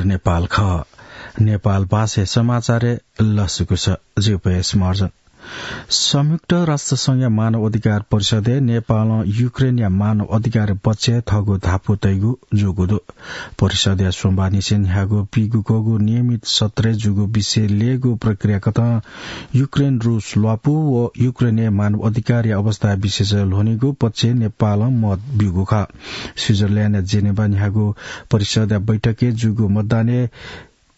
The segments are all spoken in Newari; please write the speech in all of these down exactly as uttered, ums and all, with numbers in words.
नेपाल खः। नेपाल भाषाय् समाचारय् लसकुस। जिगु पयस महर्जन। संयुक्त राष्ट्र संघया मानव अधिकार परिषदय् नेपालं युक्रेनया मानव अधिकार पक्षय् थःगु धापू तइगु जूगु दु। परिषदया सोमबारनिसें न्ह्याःगु पीगुकःगु नियमित सत्रय् जूगु विषय ल्ययेगु प्रक्रिया कथं युक्रेन रूस ल्वापु व युक्रेनय् मानव अधिकारया अवस्था विषयय् ल्ह्वनीगु पक्षय् नेपालं मत ब्यूगु खः। स्विजरल्याण्डया जेनेभा न्ह्याःगु परिषदया बैठकय् जूगु मतदानय्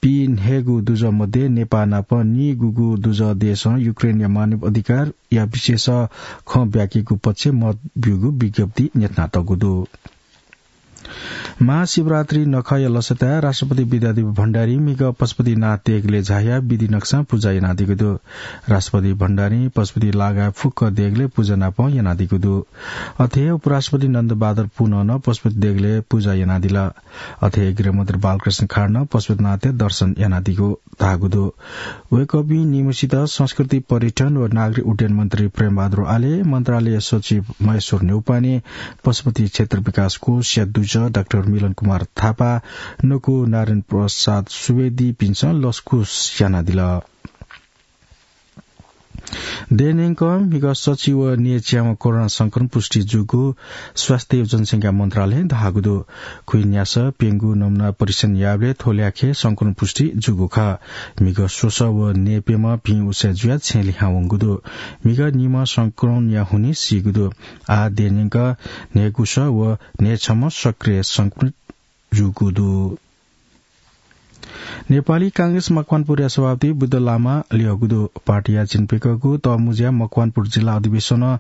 पीन्हय्गू दुजः मध्ये नेपाः नाप नीगूगू दुजः देशं युक्रेनया मानव अधिकारया विषयय् खँ ब्याकेगु पक्षय् मत ब्यूगु विज्ञप्ति न्ह्यथनातःगु दु। महाशिवरात्रि नखःया लसताय् राष्ट्रपति विद्यादेवी भण्डारी म्हिगः पशुपतिनाथ देगलय् झायाः विधि नकसां पुजा यानादीगु दु। राष्ट्रपति भण्डारीं पशुपति लागाय् फुक्क देगलय् पुजा नाप यानादीगु दु। अथे हे उपराष्ट्रपति नन्दबहादुर पुनं नं पशुपति देगलय् पुजा यानादिल। अथे हे गृहमन्त्री बालकृष्ण खाँडं नं पशुपतिनाथया दर्शन यानादीगु धाःगु दु। वय्कःपिं निम्हसित संस्कृति, पर्यटन व नागरिक उड्डयन मन्त्री प्रेमबहादुर आले, मन्त्रालय सचिव महेश्वर न्यौपाने, पशुपति क्षेत्र विकास कोषया दुजः डाक्टर मिलन कुमार थापा, नकु नारायण प्रसाद सुवेदीपिन्सं लसकुस यानादिल। देय् न्यंकं म्हिगः सच्छि व न्यय्च्याम्ह कोरोना संक्रमण पुष्टि जूगु स्वास्थ्य व जनसंख्या मन्त्रालयं धाःगु दु। खुइन्यासः प्यंगू नमुना परीक्षण याःबलय् थ्व ल्याखय् संक्रमण पुष्टि जूगु खः। म्हिगः स्वसः व न्यय्प्यम्ह भिं उसाँय् जुयाः छेँ लिहां वंगु दु। म्हिगः निम्ह संक्रमणया हुनिं सीगु दु। आः देय् न्यंकं न्हय्गुसः व न्हय्छम्ह सक्रिय संक्रमित जूगु दु। नेपाली कांग्रेस मकवानपुरया सभापति बुद्ध लामा लिहःगु दु। पार्टीया चिन्हय्कःगु तःमुँज्या मकवानपुर जिल्ला अधिवेशनं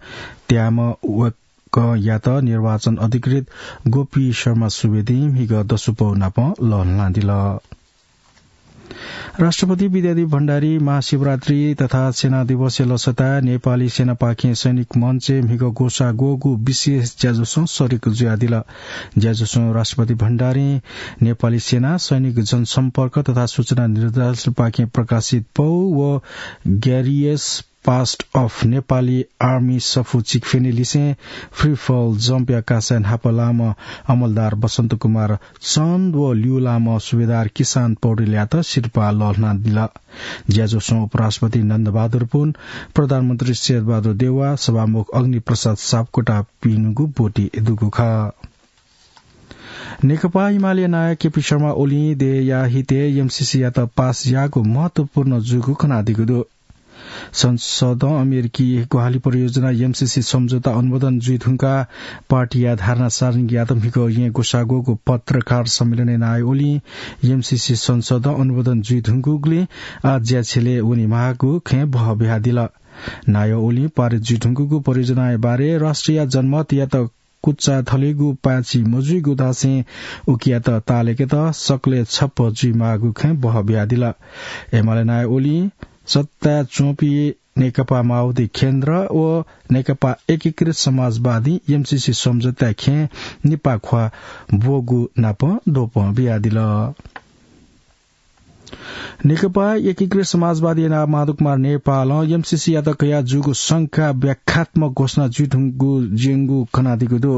त्यायेम्ह वय्कःयात निर्वाचन अधिकृत गोपी शर्मा सुवेदीं म्हिगः दसु पौ नाप लःल्हानादिल। राष्ट्रपति विद्यादेवी भण्डारी महाशिवरात्रि तथा सेना दिवसया लसताय् नेपाली सेनापाखें सैनिक मञ्चय् म्हिगः ग्वसाः ग्वःगु विशेष ज्याझ्वलं सरिक जुयादिल। ज्याझ्वलं राष्ट्रपति भण्डारीं नेपाली सेना, सैनिक जनसम्पर्क तथा सूचना निर्देशालयपाखें प्रकाशित पौ व ग्यारियस पास्ट अफ नेपाली आर्मी सफू चिकफ्यनेलिसें फ्री फल जम्पया कासाय् न्हापालाःम्ह अमलदार बसन्त कुमार चन्द व ल्यूलाःम्ह सुबेदार किसान पौडेलयात सिरपाः लःल्हानादिल। ज्याझ्वलं उपराष्ट्रपति नन्दबहादुर पुन, प्रधानमन्त्री शेरबहादुर देउवा, सभामुख अग्निप्रसाद सापकोटापिनिगु ब्वति दुगु खः। नेकपा एमालेया नायः केपी शर्मा ओलीं देय्‌या हितय् एमसीसीयात पास याःगु महत्वपूर्ण जूगु खनादीगु दु। संसदं अमेरिकी ग्वाहालि परियोजना एमसीसी सम्झौता अनुमोदन जुइधुंकाः पार्टीया धारणा सार्वजनिक यात म्हिगः येँ ग्वसाः ग्वःगु पत्रकार सम्मेलनय् नायः ओलीं एमसीसी संसदं अनुमोदन जुइधुंकूगुलिं आः ज्याछ्यले वनेमाःगु खँय् बहः बियादिल। नायः ओलीं पारित जुइधुंकूगु परियोजनाया बारे राष्ट्रिय जनमतयात कुचा थलेगु पाय्‌छि मजुइगु धासें उकियात ताःलाकेत सकलें छप्पँ जुइमाःगु खँय् बहः बियादिल। एमाले नायः ओलीं सत्ताय् च्वंपिं नेकपा माओवादी केन्द्र व नेकपा एकीकृत समाजवादीं एमसीसी सम्झौताय् खँय् निपाः ख्वाः ब्वःगु नाप द्वपं बियादिल। नेकपा एकीकृत समाजवादीया नायः माधव कुमार नेपालं एमसीसीयात कयाः जूगु शंका व्याख्यात्मक घोषणा जुइधुंगु ज्यंगु खनादीगु दु।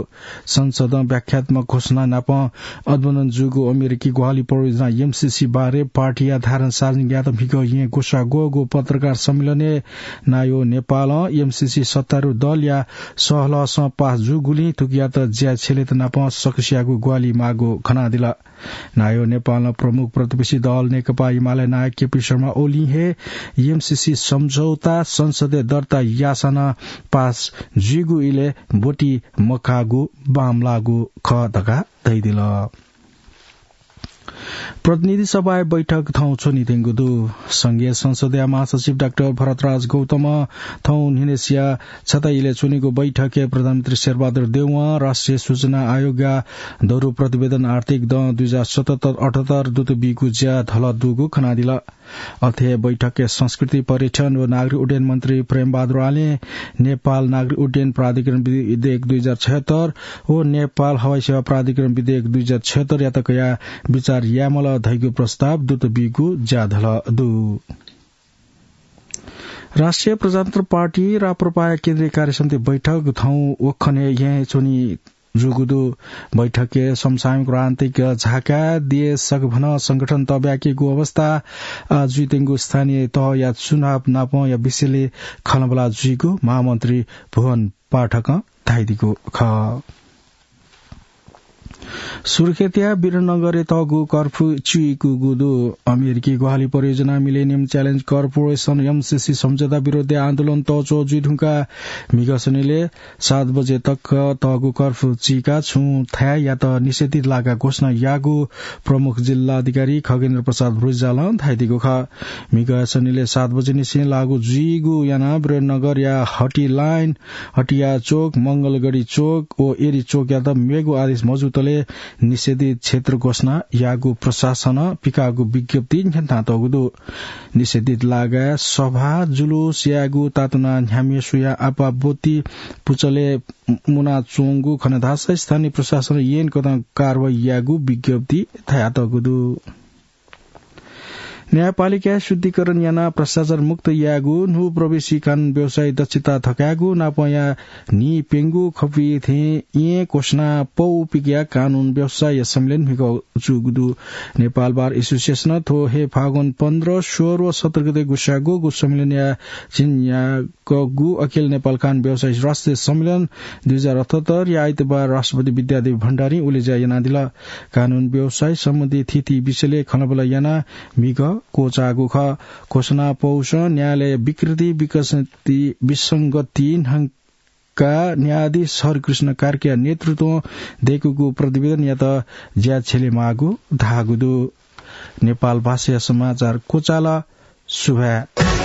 संसदं व्याख्यात्मक घोषणा नाप अनुमोदन जूगु अमेरिकी ग्वाहालि परियोजना एमसीसी बारे पार्टीया धारणा सार्वजनिक यात म्हिगः येँ ग्वसाः ग्वःगु पत्रकार सम्मेलनय् नायः नेपालं एमसीसी सत्तारूढ दलया सहलहसं पास जूगुलिं थुकियात ज्याछ्यलेत नाप सकसियागु ग्वाहालि माःगु खनादिल। नायः नेपालं प्रमुख प्रतिपक्षी दल नेकपा एमाले नायः केपी शर्मा ओलीं हे एमसीसी सम्झौता संसदय् दर्ता याःसां नं पास जुइगु इलय् ब्वति मकाःगु बांमलाःगु खः धकाः धयादिल। प्रतिनिधि सभाया बैठक थौं च्वनीधुंगु दु। संघीय संसदया महासचिव डाक्टर भरतराज गौतमं थौं न्हिनय्सिया छता इलय् च्वनीगु बैठकय् प्रधानमन्त्री शेरबहादुर देउवां राष्ट्रिय सूचना आयोगया दरु प्रतिवेदन आर्थिक दँ दुई हजार सतहत्तर अठहत्तर दुत बीगु ज्या धलः दुगु खनादिल। अथे हे बैठकय् संस्कृति, पर्यटन व नागरिक उड्डयन मन्त्री प्रेमबहादुर आलें नेपाल नागरिक उड्डयन प्राधिकरण विधेयक दुई हजार छयहत्तर व नेपाल हवाई सेवा प्राधिकरण विधेयक दुई हजार छयहत्तरयात कयाः विचार यायेमाल धइगु प्रस्ताव दुत बीगु ज्या धलः दु। राष्ट्रिय प्रजातन्त्र पार्टी राप्रपाया केन्द्रीय कार्यसमिति बैठक थौं वखनय् येँय् च्वनी जूगु दु। बैठकय् समसामयिक राजनीतिक झाका देश सकभनं संगठन तब्याकेगु अवस्था, आ, जुइत्यंगु स्थानीय तहया चुनाव नापंया विषयले खँल्हाबल्हा जुइगु महामन्त्री भुवन पाठकं धाइदिगु खः। सुर्खेतया वीरनगरय् तःगु कर्फ्यू चुइकूगु दु। अमेरिकी ग्वाहालि परियोजना मिलेनियम च्यालेन्ज कर्पोरेसन, एमसिसी, सम्झौता विरोधय् आन्दोलन तःच्वः जुइधुंकाः म्हिगः शनिले सात बजे तक तःगु कर्फ्यू चीकाः छुं थाय्‌यात निषेधित लागा घोषणा याःगु प्रमुख जिल्ला अधिकारी खगेन्द्र प्रसाद रिजालं धाइदिगु खः। म्हिगः शनिले सात बजे निसें लागू जुइगु यानाः वीरनगरया हटी लाइन, हटिया चोक, मंगलगढी चोक व एरी चोकयात मेगु आदेश मजूतले निषेधित क्षेत्र घोषणा याःगु प्रशासनं पिकाःगु विज्ञप्ति न्ह्यथनातःगु दु। निषेधित लागाय् सभा, जुलुस यायेगु, तातुना न्ह्याम्हे स्वयाः आपाः बत्ती पुचलय् मुनाच्वंगु खनेधाःसा स्थानीय प्रशासनं ऐनकथं कारवाही यायेगु विज्ञप्ति धयातःगु दु। न्यायपालिकाय् शुद्धिकरण यानाः भ्रष्टाचार मुक्त यायेगु न्हू प्रवेशी कानून व्यवसायी दक्षता थकायेगु नापंया न्हिप्यंगू खपुइ थें येँ घोषणा पौ पिकया कानून व्यवसायीया सम्मेलन म्हिगः जूगु दु। नेपाल बार एसोसिएसनं थ्व हे फागुन पन्ध्र, सोह्र व सत्र गते गुस्साःगु सम्मेलनया झिंन्यागू अखिल नेपाल कानून व्यवसायी राष्ट्रिय सम्मेलन दुई हजार अठहत्तरया आइतबार राष्ट्रपति विद्यादेवी भण्डारीं उलेज्या यानादिल। कानून व्यवसाय सम्बन्धी थीथी विषयले खँल्हाबल्हा यानाः म्हिगः क्वचाःगु खः। घोषणा पौसं न्यायालय विकृति, विकसति, विसंगति न्हंकाः न्यायाधीश हरिकृष्ण कार्कीया नेतृत्वं दय्‌कूगु प्रतिवेदनयात ज्या छ्यलेमाःगु धाःगु दु। नेपाल भाषाया समाचार क्वचाल। सुभाय्।